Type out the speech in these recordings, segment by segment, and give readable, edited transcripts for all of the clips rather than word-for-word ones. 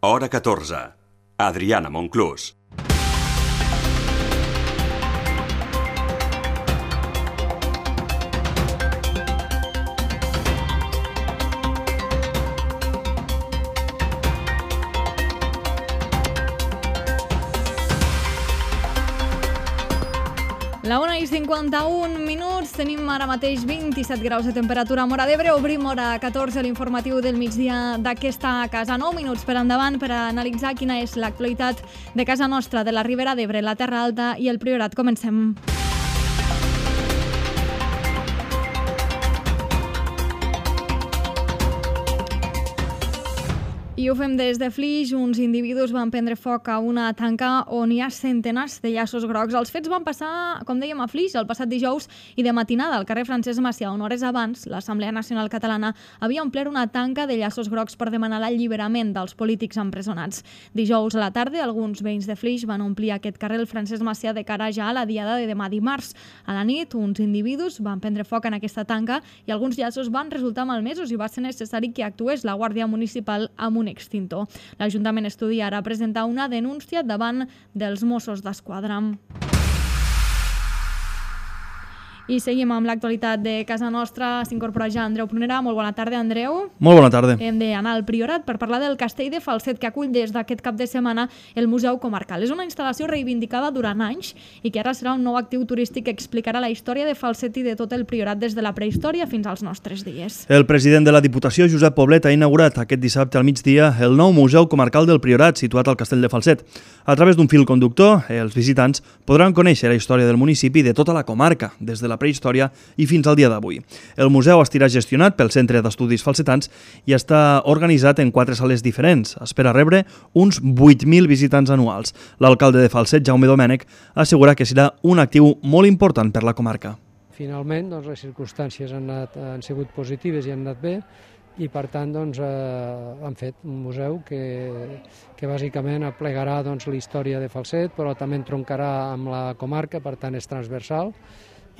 Hora 14. Adriana Monclús. La 1:51, tenim ara mateix 27 graus de temperatura a Móra d'Ebre. Obrim hora 14, l'informatiu del migdia d'aquesta casa. 9 minuts per endavant per analitzar quina és l'actualitat de casa nostra, de la Ribera d'Ebre, la Terra Alta i el Priorat. Comencem. I ho fem des de Flix. Uns individus van prendre foc a una tanca on hi ha centenars de llaços grocs. Els fets van passar, com dèiem, a Flix el passat dijous i de matinada al carrer Francesc Macià, on hores abans l'Assemblea Nacional Catalana havia omplert una tanca de llaços grocs per demanar l'alliberament dels polítics empresonats. Dijous a la tarda, alguns veïns de Flix van omplir aquest carrer Francesc Macià de cara ja a la diada de demà dimarts. A la nit, uns individus van prendre foc en aquesta tanca i alguns llaços van resultar malmesos i va ser necessari que actués la Guàrdia Municipal amb un extintor. L'Ajuntament estudia ara presentar una denúncia davant dels Mossos d'Esquadra. I seguim amb l'actualitat de casa nostra. S'incorpora ja Andreu Prunera. Molt bona tarda, Andreu. Molt bona tarda. Hem d'anar al Priorat per parlar del castell de Falset que acull des d'aquest cap de setmana el Museu Comarcal. És una instal·lació reivindicada durant anys i que ara serà un nou actiu turístic que explicarà la història de Falset i de tot el Priorat des de la prehistòria fins als nostres dies. El president de la Diputació, Josep Poblet, ha inaugurat aquest dissabte al migdia el nou Museu Comarcal del Priorat, situat al castell de Falset. A través d'un fil conductor, els visitants podran conèixer la història del municipi i de tota la comarca, des de la prehistòria i fins al dia d'avui. El museu estarà gestionat pel Centre d'Estudis Falsetans i està organitzat en 4 sales diferents. Espera rebre uns 8.000 visitants anuals. L'alcalde de Falset, Jaume Domènech, assegura que serà un actiu molt important per la comarca. Finalment, les circumstàncies han sigut positives i han anat bé, i per tant han fet un museu que bàsicament aplegarà la història de Falset, però també entroncarà amb la comarca, per tant és transversal,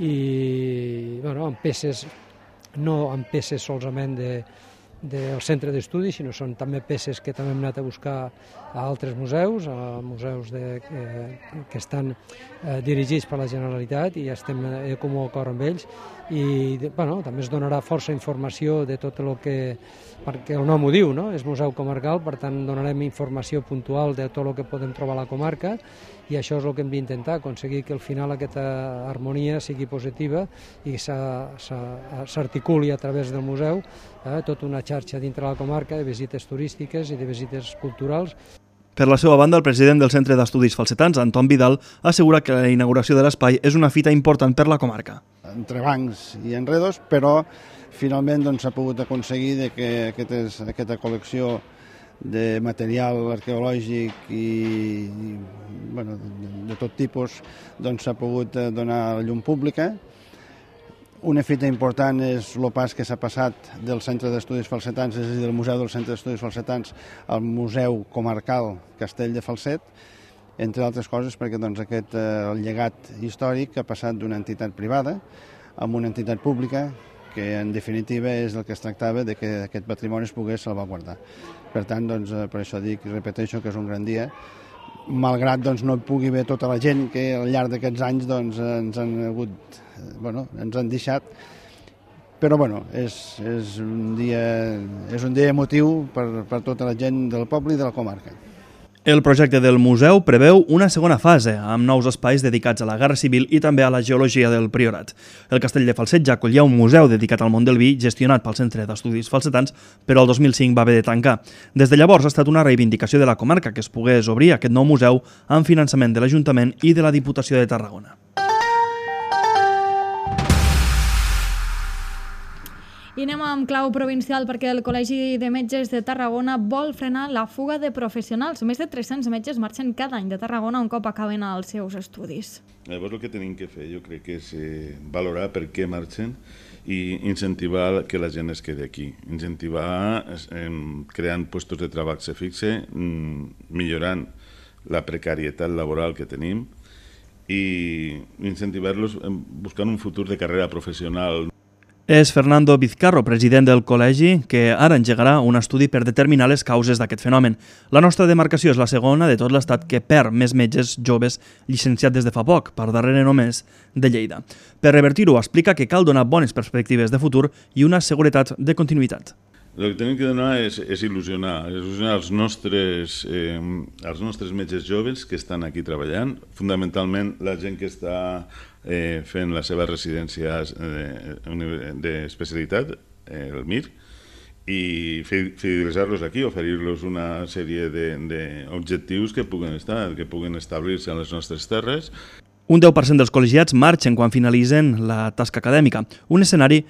i amb peces, no amb peces solament del centre d'estudis, sinó són també peces que també hem anat a buscar a altres museus, a museus que estan dirigits per la Generalitat i estem de comú acord amb ells, i també es donarà força informació de tot el que, perquè el nom ho diu, no? És museu comarcal, per tant donarem informació puntual de tot el que podem trobar a la comarca, i això és el que hem d'intentar, aconseguir que al final aquesta harmonia sigui positiva i s'articuli a través del museu tota una xarxa dintre la comarca de visites turístiques i de visites culturals. Per la seva banda, el president del Centre d'Estudis Falsetans, Anton Vidal, assegura que la inauguració de l'espai és una fita important per la comarca. Entre bancs i enredos, però finalment s'ha pogut aconseguir que aquesta col·lecció de material arqueològic i de tot tipus s'ha pogut donar a la llum pública. Una fita important és el pas que s'ha passat del Centre d'Estudis Falsetans, és a dir, del Museu del Centre d'Estudis Falsetans, al Museu Comarcal Castell de Falset, entre altres coses perquè aquest llegat històric ha passat d'una entitat privada a una entitat pública, que en definitiva és el que es tractava, de que aquest patrimoni es pogués salvaguardar. Per tant, per això dic i repeteixo que és un gran dia, malgrat no hi pugui haver tota la gent que al llarg d'aquests anys ens han deixat, però és un dia emotiu per tota la gent del poble i de la comarca. El projecte del museu preveu una segona fase, amb nous espais dedicats a la Guerra Civil i també a la geologia del Priorat. El castell de Falset ja acollia un museu dedicat al món del vi, gestionat pel Centre d'Estudis Falsetans, però el 2005 va haver de tancar. Des de llavors ha estat una reivindicació de la comarca que es pogués obrir aquest nou museu amb finançament de l'Ajuntament i de la Diputació de Tarragona. I anem amb clau provincial perquè el Col·legi de Metges de Tarragona vol frenar la fuga de professionals. Més de 300 metges marxen cada any de Tarragona un cop acaben els seus estudis. Llavors el que tenim que fer jo crec que és valorar per què marxen i incentivar que la gent es quedi aquí. Incentivar creant llocs de treball se fixe, millorant la precarietat laboral que tenim i incentivar-los buscant un futur de carrera professional. És Fernando Vizcarro, president del col·legi, que ara engegarà un estudi per determinar les causes d'aquest fenomen. La nostra demarcació és la segona de tot l'estat que perd més metges joves llicenciats des de fa poc, per darrere només de Lleida. Per revertir-ho, explica que cal donar bones perspectives de futur i una seguretat de continuïtat. El que tenim que donar és il·lusionar els nostres metges joves que estan aquí treballant, fonamentalment la gent que està fent la seva residència d'especialitat, el MIR, i fidelitzar-los aquí, oferir-los una sèrie d'objectius que puguen establir-se en les nostres terres. Un 10% dels col·legiats marxen quan finalitzen la tasca acadèmica, un escenari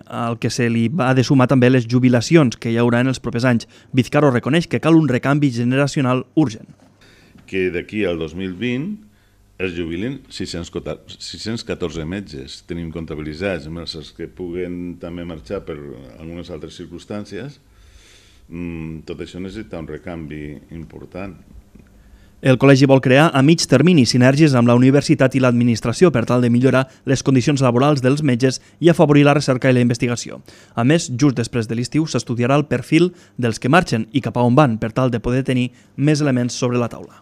al que se li va de sumar també les jubilacions que hi haurà en els propers anys. Vizcarro reconeix que cal un recanvi generacional urgent. Que d'aquí al 2020 es jubilen 614 metges, tenim comptabilitzats, els que puguen també marxar per algunes altres circumstàncies. Tot això necessita un recanvi important. El col·legi vol crear a mig termini sinergies amb la universitat i l'administració per tal de millorar les condicions laborals dels metges i afavorir la recerca i la investigació. A més, just després de l'estiu s'estudiarà el perfil dels que marxen i cap a on van per tal de poder tenir més elements sobre la taula.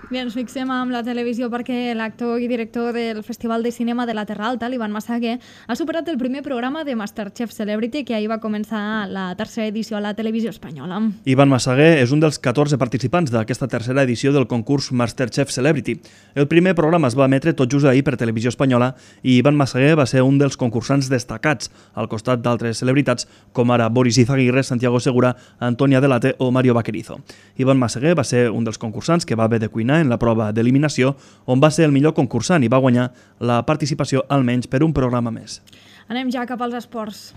Bé, ens fixem amb la televisió perquè l'actor i director del Festival de Cinema de la Terra Alta, l'Ivan Massaguer, ha superat el primer programa de Masterchef Celebrity que ahir va començar la tercera edició a la televisió espanyola. Ivan Massaguer és un dels 14 participants d'aquesta tercera edició del concurs Masterchef Celebrity. El primer programa es va emetre tot just ahir per televisió espanyola i Ivan Massaguer va ser un dels concursants destacats, al costat d'altres celebritats com ara Boris Izaguirre, Santiago Segura, Antonia Delate o Mario Vaquerizo. Ivan Massaguer va ser un dels concursants que va haver de cuinar en la prova d'eliminació, on va ser el millor concursant i va guanyar la participació almenys per un programa més. Anem ja cap als esports.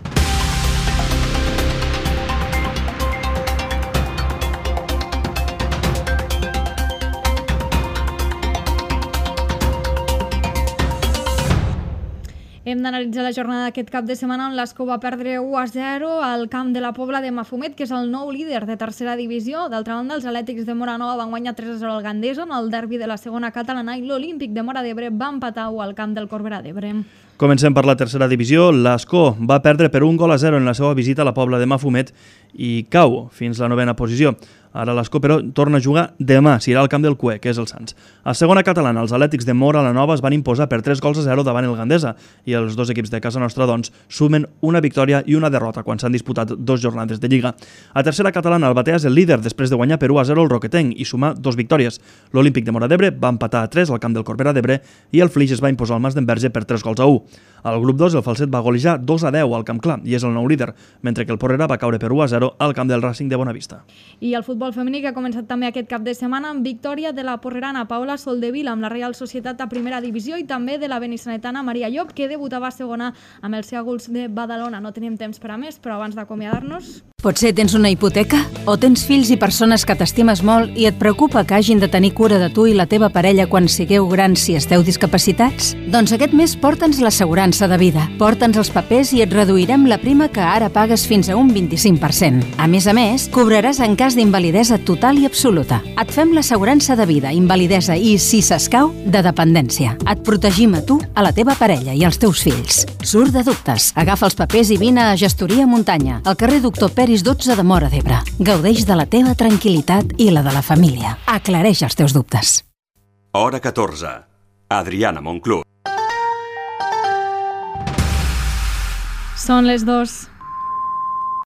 Hem d'analitzar la jornada d'aquest cap de setmana on l'Escó va perdre 1-0 al camp de la Pobla de Mafumet, que és el nou líder de tercera divisió. D'altra banda, els Atlètics de Móra Nova van guanyar 3-0 al Gandesa en el derbi de la segona catalana i l'Olímpic de Móra d'Ebre va empatar al camp del Corbera d'Ebre. Comencem per la tercera divisió. L'Escó va perdre per 1-0 en la seva visita a la Pobla de Mafumet i cau fins a la 9a posició. Ara l'Escó, però, torna a jugar demà, si irà al camp del Cué, que és el Sants. A segona catalana, els Atlètics de Móra la Nova es van imposar per 3-0 davant el Gandesa i els dos equips de casa nostra, doncs, sumen una victòria i una derrota quan s'han disputat 2 jornades de Lliga. A tercera catalana, el Batea és el líder després de guanyar per 1-0 el Roquetenc i sumar 2 victòries. L'Olímpic de Móra d'Ebre va empatar a 3 al camp del Corbera d'Ebre i el Flix es va imposar al Mas d'Enverge per 3-1. Al grup 2, el Falset va golejar 2-10 al Camp Clar i és el nou líder, mentre que el Porrera va caure per 1-0 al camp del Racing de Bonavista. I el futbol femení que ha començat també aquest cap de setmana amb victòria de la porrerana Paula Soldevila amb la Reial Societat a primera divisió i també de la benissanetana Maria Llop, que debutava a segona amb els Cègols de Badalona. No tenim temps per a més, però abans d'acomiadar-nos... Potser tens una hipoteca? O tens fills i persones que t'estimes molt i et preocupa que hagin de tenir cura de tu i la teva parella quan sigueu grans si esteu discapacitats? Doncs aquest mes porta'ns l'assegurança de vida. Porta'ns els papers i et reduirem la prima que ara pagues fins a un 25%. A més, cobraràs en cas d'invalidesa total i absoluta. Et fem l'assegurança de vida, invalidesa i, si s'escau, de dependència. Et protegim a tu, a la teva parella i als teus fills. Surt de dubtes. Agafa els papers i vine a Gestoria Muntanya, al carrer Doctor Peris 12 de Móra d'Ebre. Gaudeix de la teva tranquil·litat i la de la família. Aclareix els teus dubtes. Hora 14. Adriana Monclús. Són les 2.